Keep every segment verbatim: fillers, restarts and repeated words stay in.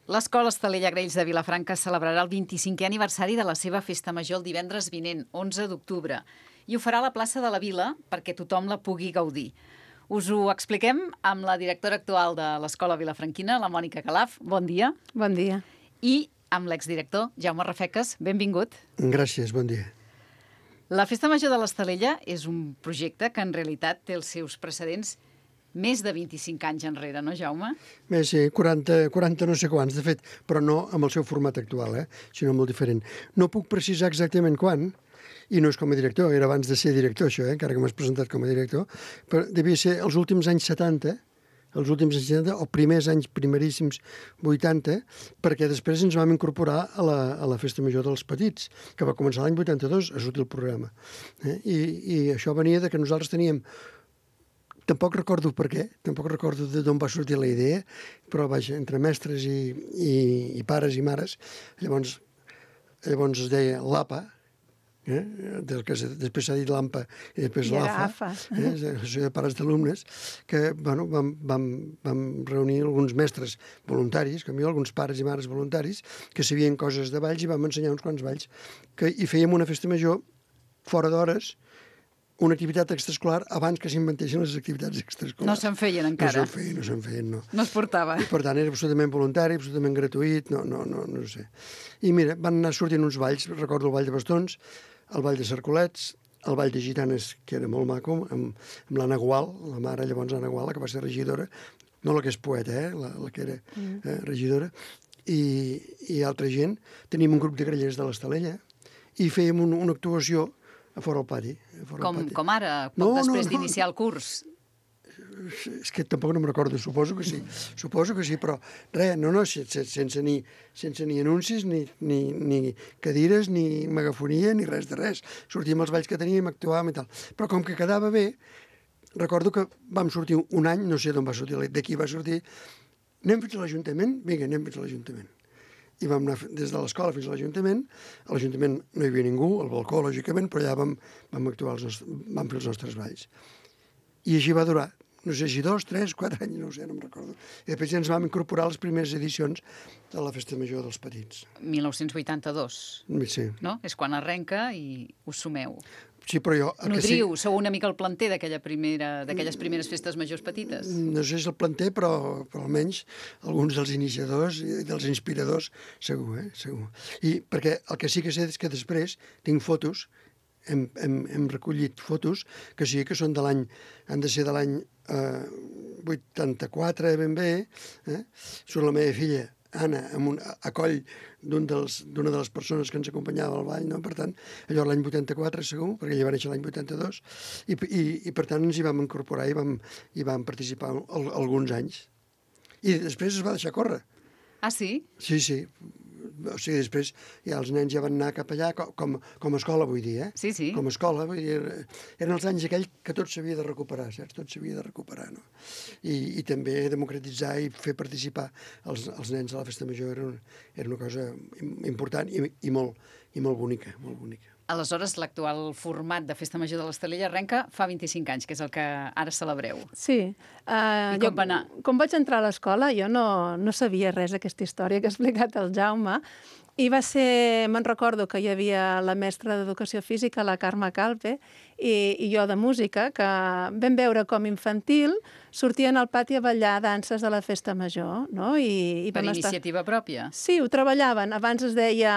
L'Escola Estalella Graells de Vilafranca celebrarà el vint-i-cinquè aniversari de la seva festa major el divendres vinent, onze d'octubre, i ho farà a la plaça de la Vila perquè tothom la pugui gaudir. Us ho expliquem amb la directora actual de l'Escola Vilafranquina, la Mònica Calaf. Bon dia. Bon dia. I amb l'exdirector, Jaume Rafeques. Benvingut. Gràcies, bon dia. La Festa Major de l'Estalella és un projecte que en realitat té els seus precedents més de vint-i-cinc anys enrere, no, Jaume? Bé, sí, quaranta, quaranta no sé quants, de fet, però no amb el seu format actual, eh? sinó molt diferent. No puc precisar exactament quan, i no és com a director, era abans de ser director, això, eh? encara que m'has presentat com a director, però devia ser els últims anys setanta, els últims anys setanta, o primers anys primeríssims vuitanta, perquè després ens vam incorporar a la, a la Festa Major dels Petits, que va començar l'any vuitanta-dos a sortir el programa. Eh? I, I això venia de que nosaltres teníem... Tampoc recordo per què, tampoc recordo d'on va sortir la idea, però vaja, entre mestres i, i, i pares i mares, llavors, llavors es deia l'APA, eh? del que després s'ha dit l'AMPA i després l'AFA, eh? Això de pares d'alumnes, que bueno, vam, vam, vam reunir alguns mestres voluntaris, com jo, alguns pares i mares voluntaris, que sabien coses de balls i vam ensenyar uns quants balls, que hi fèiem una festa major fora d'hores, una activitat extraescolar abans que s'inventessin les activitats extraescolars. No se'n feien encara? No se'n feien, no se'n feien, no. No es portava? I per tant era absolutament voluntari, absolutament gratuït, no, no, no, no sé. I mira, van anar sortint uns balls, recordo el ball de bastons, el ball de cercolets, el ball de gitanes, que era molt maco, amb, amb l'Anna Gual, la mare llavors Anna Gual, la que va ser regidora, no la que és poeta, eh, la, la que era eh, regidora, i, i altra gent. Tenim un grup de grellers de l'Estalella i fèiem un, una actuació a fora al pati. Fora Com, al pati. com ara, poc no, després no, no, d'iniciar el curs? És que tampoc no me'n recordo, suposo que sí, suposo que sí, però res, no, no, sense, sense, ni, sense ni anuncis, ni, ni, ni cadires, ni megafonia, ni res de res. Sortíem els balls que teníem, actuàvem i tal. Però com que quedava bé, recordo que vam sortir un any, no sé d'on va sortir, d'aquí va sortir, anem fins a l'Ajuntament? Vinga, anem fins a l'Ajuntament. I vam anar des de l'escola fins a l'Ajuntament. A l'Ajuntament no hi havia ningú, al balcó, lògicament, però allà vam, vam actuar, els nostres, vam fer els nostres balls. I així va durar, no sé si dos, tres, quatre anys, no ho sé, no em recordo. I després ja ens vam incorporar a les primeres edicions de la Festa Major dels Petits. mil nou-cents vuitanta-dos, Sí. no? És quan arrenca i us sumeu. Sí, però jo... Nodriu, sí... sou una mica el planter d'aquella primera, d'aquelles primeres festes majors petites? No sé si és el planter, però, però almenys alguns dels iniciadors i dels inspiradors, segur, eh? Segur. I perquè el que sí que sé és que després tinc fotos, hem, hem, hem recollit fotos, que sí que són de l'any, han de ser de l'any eh, vuitanta-quatre, ben bé, eh? Surt la meva filla, Anna, amb un, a coll d'una de les persones que ens acompanyava al ball, no? Per tant, allò l'any vuitanta-quatre segur, perquè ella va néixer l'any vuitanta-dos, i, i, i per tant ens hi vam incorporar i vam, i vam participar al, alguns anys. I després es va deixar córrer. Ah, sí? Sí, sí. O sigui, després ja els nens ja van anar cap allà com, com, com a escola, vull dir, eh? Sí, sí. Com a escola, vull dir, eren els anys aquells que tot s'havia de recuperar, saps? Tot s'havia de recuperar, no? I, i també democratitzar i fer participar els, els nens a la Festa Major era, un, era una cosa important i, i, molt, i molt bonica, molt bonica. Aleshores, l'actual format de Festa Major de l'Estalella arrenca fa vint-i-cinc anys, que és el que ara celebreu. Sí. Uh, I com jo, va anar? Com vaig entrar a l'escola, jo no, no sabia res d'aquesta història que ha explicat el Jaume, i va ser, me'n recordo que hi havia la mestra d'Educació Física, la Carme Calpe, i, i jo de música, que vam veure com infantil sortien al pati a ballar danses de la Festa Major, no? I, i per iniciativa estar... pròpia? Sí, ho treballaven. Abans es deia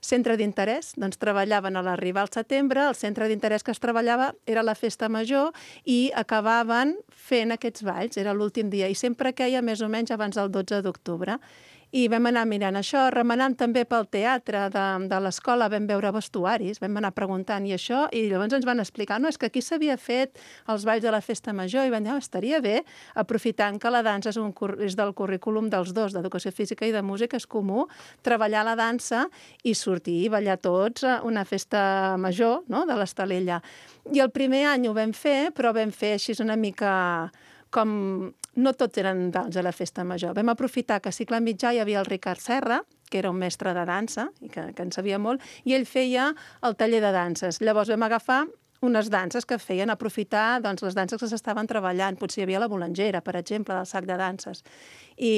centre d'interès, doncs treballaven a l'arribar al setembre, el centre d'interès que es treballava era la Festa Major i acabaven fent aquests balls, era l'últim dia, i sempre queia més o menys abans del dotze d'octubre. I vam anar mirant això, remenant també pel teatre de, de l'escola, vam veure vestuaris, vam anar preguntant i això, i llavors ens van explicar, no, és que aquí s'havia fet els balls de la Festa Major, i vam dir, oh, estaria bé, aprofitant que la dansa és, un, és del currículum dels dos, d'Educació Física i de Música, és comú, treballar la dansa i sortir i ballar tots a una festa major, no?, de l'Estalella. I el primer any ho vam fer, però vam fer així una mica... com no tots eren balls a la Festa Major. Vam aprofitar que a cicle mitjà hi havia el Ricard Serra, que era un mestre de dansa, i que, que en sabia molt, i ell feia el taller de danses. Llavors vam agafar unes danses que feien aprofitar doncs, les danses que s'estaven treballant. Potser hi havia la bolangera, per exemple, del sac de danses. I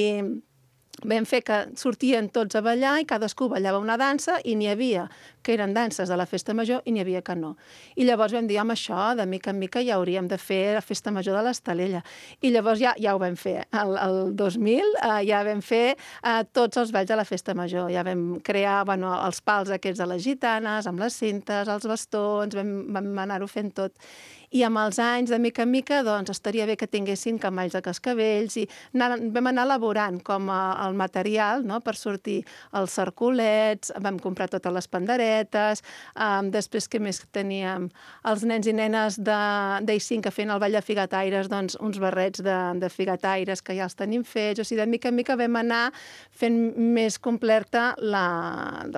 vam fer que sortien tots a ballar i cadascú ballava una dansa i n'hi havia que eren danses de la festa major i n'hi havia que no. I llavors vam dir, home, això, de mica en mica ja hauríem de fer la festa major de l'Estalella. I llavors ja, ja ho vam fer. El, el dos mil eh, ja vam fer eh, tots els balls de la festa major. Ja vam crear bueno, els pals aquests de les gitanes, amb les cintes, els bastons, vam, vam anar-ho fent tot. I amb els anys, de mica en mica, doncs, estaria bé que tinguessin camalls de cascavells i anar, vam anar elaborant com a, el material, no?, per sortir els cercolets, vam comprar totes les panderetes, um, després què més teníem? Els nens i nenes d'I cinc que feien el ball de figataires, doncs uns barrets de, de figataires que ja els tenim fets, o sigui, de mica en mica vam anar fent més completa la,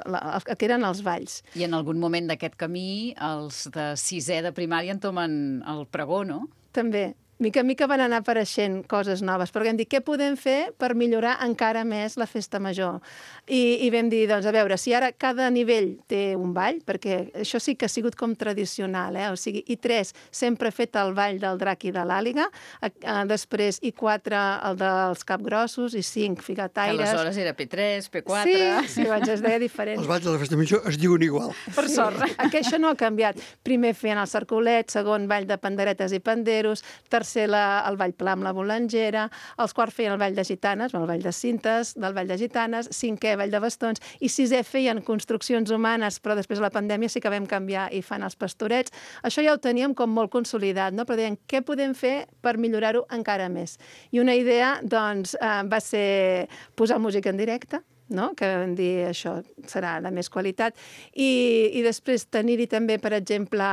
la, el que eren els balls. I en algun moment d'aquest camí, els de sisè de primària entomen el pregó, no? També. Mica en mica van anar apareixent coses noves, però vam dir, què podem fer per millorar encara més la festa major? I, i vam dir, doncs, a veure, si ara cada nivell té un ball, perquè això sí que ha sigut com tradicional, eh? O sigui, i tres sempre ha fet el ball del drac i de l'àliga, després i quatre el dels capgrossos, i cinc figataires. Que aleshores era P tres, P quatre... Sí, sí, abans es deia diferent. Els balls de la festa major es diuen igual. Per sí. sort. Aquí això no ha canviat. Primer feien el cercolet, segon ball de panderetes i panderos, tercer La, el ball pla amb la bolangera, els quarts feien el ball de gitanes, el ball de cintes, del ball de gitanes, cinquè ball de bastons, i sisè feien construccions humanes, però després de la pandèmia sí que vam canviar i fan els pastorets. Això ja ho teníem com molt consolidat, no? Però deien, què podem fer per millorar-ho encara més? I una idea, doncs, eh, va ser posar música en directe, no? Que vam dir, això serà de més qualitat, i, i després tenir-hi també, per exemple,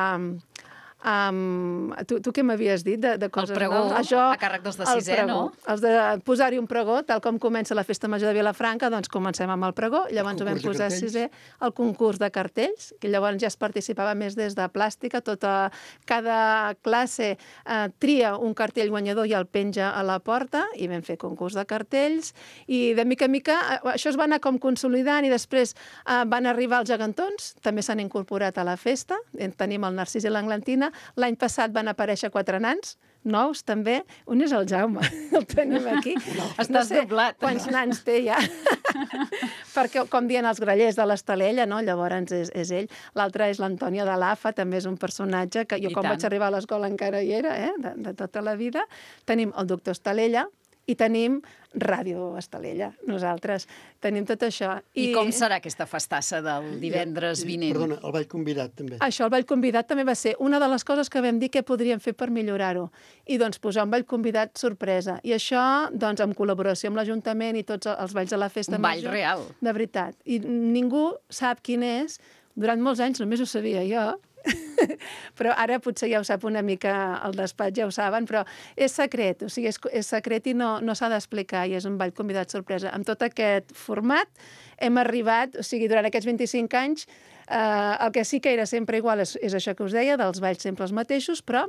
Um, tu, tu què m'havies dit de, de coses el pregó, noves? Això, a càrrec dels de sisè, pregó, no? Els de posar-hi un pregó, tal com comença la festa major de Vilafranca, doncs comencem amb el pregó, llavors ho vam posar a sisè, el concurs de cartells, que llavors ja es participava més des de plàstica, tota, cada classe eh, tria un cartell guanyador i el penja a la porta, i vam fer concurs de cartells, i de mica en mica això es va anar com consolidant, i després eh, van arribar els gegantons, també s'han incorporat a la festa, tenim el Narcís i l'Englantina. L'any passat van aparèixer quatre nans, nous també. Un és el Jaume, el tenim aquí. No. Estàs no doblat. Quants nans té ja? Perquè, com diuen els grallers de l'Estalella, no? Llavors és, és ell. L'altre és l'Antònia de l'A F A, també és un personatge que jo I quan tant. Vaig arribar a l'escola encara hi era, eh? de, de tota la vida. Tenim el doctor Estalella, i tenim Ràdio Estalella, nosaltres. Tenim tot això. I, I com serà aquesta festassa del divendres I, vinent? Perdona, el ball convidat també. Això, el ball convidat també va ser una de les coses que vam dir que podríem fer per millorar-ho. I doncs posar un ball convidat sorpresa. I això, doncs, en col·laboració amb l'Ajuntament i tots els balls de la festa un major. Un ball real. De veritat. I ningú sap quin és. Durant molts anys només ho sabia jo. Però ara potser ja ho sap una mica el despatx, ja ho saben, però és secret, o sigui, és, és secret i no, no s'ha d'explicar, i és un ball convidat sorpresa. Amb tot aquest format hem arribat, o sigui, durant aquests vint-i-cinc anys, eh, el que sí que era sempre igual és, és això que us deia, dels balls sempre els mateixos, però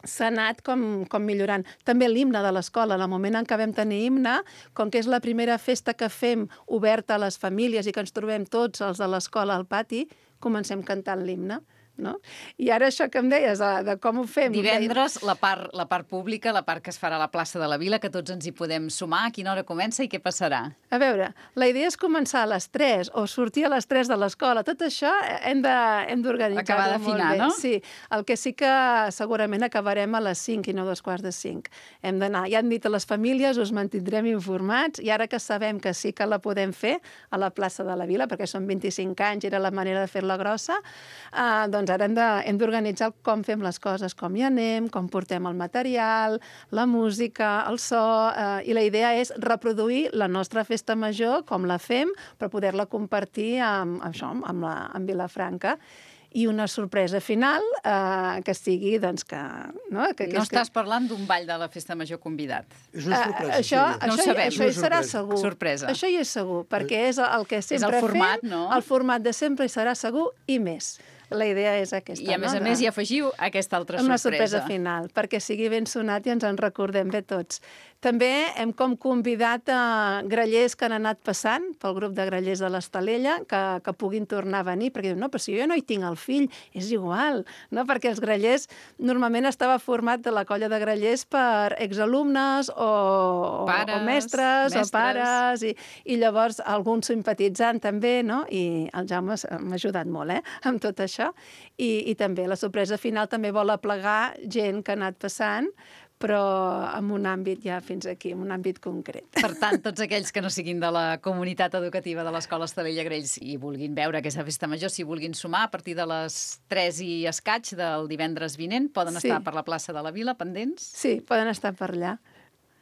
s'ha anat com, com millorant. També l'himne de l'escola, en el moment en què vam tenir himne, com que és la primera festa que fem oberta a les famílies i que ens trobem tots els de l'escola al pati, comencem cantant l'himne. No? I ara això que em deies, de, de com ho fem... Divendres, la part, la part pública, la part que es farà a la plaça de la Vila, que tots ens hi podem sumar, a quina hora comença i què passarà? A veure, la idea és començar a les tres o sortir a les tres de l'escola. Tot això hem d'organitzar-ho Acabar d'afinar, molt bé. No? Sí, el que sí que segurament acabarem a les cinc i no dos quarts de cinc. Hem d'anar, ja han dit a les famílies, us mantindrem informats, i ara que sabem que sí que la podem fer a la plaça de la Vila, perquè són vint-i-cinc anys, era la manera de fer-la grossa, eh, doncs ara hem d'organitzar com fem les coses, com hi anem, com portem el material, la música, el so, eh, i la idea és reproduir la nostra festa major, com la fem, per poder-la compartir amb, això, amb, la, amb Vilafranca. I una sorpresa final eh, que sigui, doncs, que... No, que, que no estàs que... parlant d'un ball de la festa major convidat. És una sorpresa. Uh, això, sí. això, no ho sabem. Això hi serà segur. Sorpresa. Això hi és segur, perquè és el que sempre és el format, fem. No? El format de sempre hi serà segur i més. La idea és aquesta. I a més no? a més hi afegiu aquesta altra una sorpresa. Una sorpresa final, perquè sigui ben sonat i ens en recordem bé tots. També hem com convidat a grallers que han anat passant pel grup de grallers de l'Estalella que, que puguin tornar a venir, perquè diuen, no, però si jo no hi tinc el fill, és igual, no? Perquè els grallers normalment estava format de la colla de grallers per exalumnes o, pares, o mestres, mestres, o pares, i, i llavors algun simpatitzant també, no? I el Jaume m'ha ajudat molt, eh?, amb tot això. I, i també la sorpresa final també vol aplegar gent que ha anat passant, però en un àmbit ja fins aquí, en un àmbit concret. Per tant, tots aquells que no siguin de la comunitat educativa de l'Escola Estalella Grells i vulguin veure aquesta festa major, si vulguin sumar a partir de les tres i escaig del divendres vinent, poden Sí. estar per la plaça de la Vila, pendents? Sí, poden estar per allà.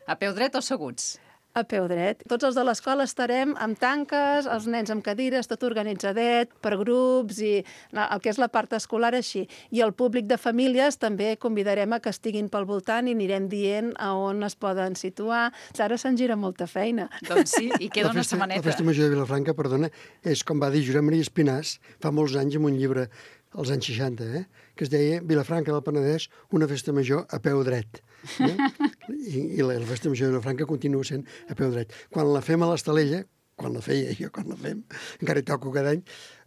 A peu dret o asseguts? A peu dret. Tots els de l'escola estarem amb tanques, els nens amb cadires, tot organitzadet, per grups, i el que és la part escolar així. I el públic de famílies també convidarem a que estiguin pel voltant i anirem dient a on es poden situar. Ara se'n gira molta feina. Doncs sí, i queda La una festa, setmaneta. la festa major de Vilafranca, perdona, és com va dir Josep Maria Espinàs fa molts anys en un llibre, als anys seixanta, eh? que es deia Vilafranca del Penedès, una festa major a peu dret. Eh? I, I la, la festa major de Vilafranca continua sent a peu dret. Quan la fem a l'Estalella, quan la feia jo, quan la fem, encara hi toco cada any,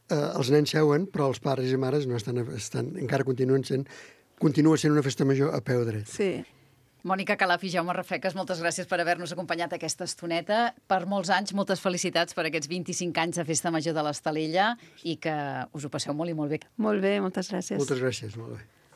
eh, els nens seuen, però els pares i mares no estan, estan, encara continuen sent, continua sent una festa major a peu dret. Sí. Mònica Calaf i Jaume Rafeques, moltes gràcies per haver-nos acompanyat aquesta estoneta. Per molts anys, moltes felicitats per aquests vint-i-cinc anys de Festa Major de l'Estalella i que us ho passeu molt i molt bé. Molt bé, moltes gràcies. Moltes gràcies, molt bé.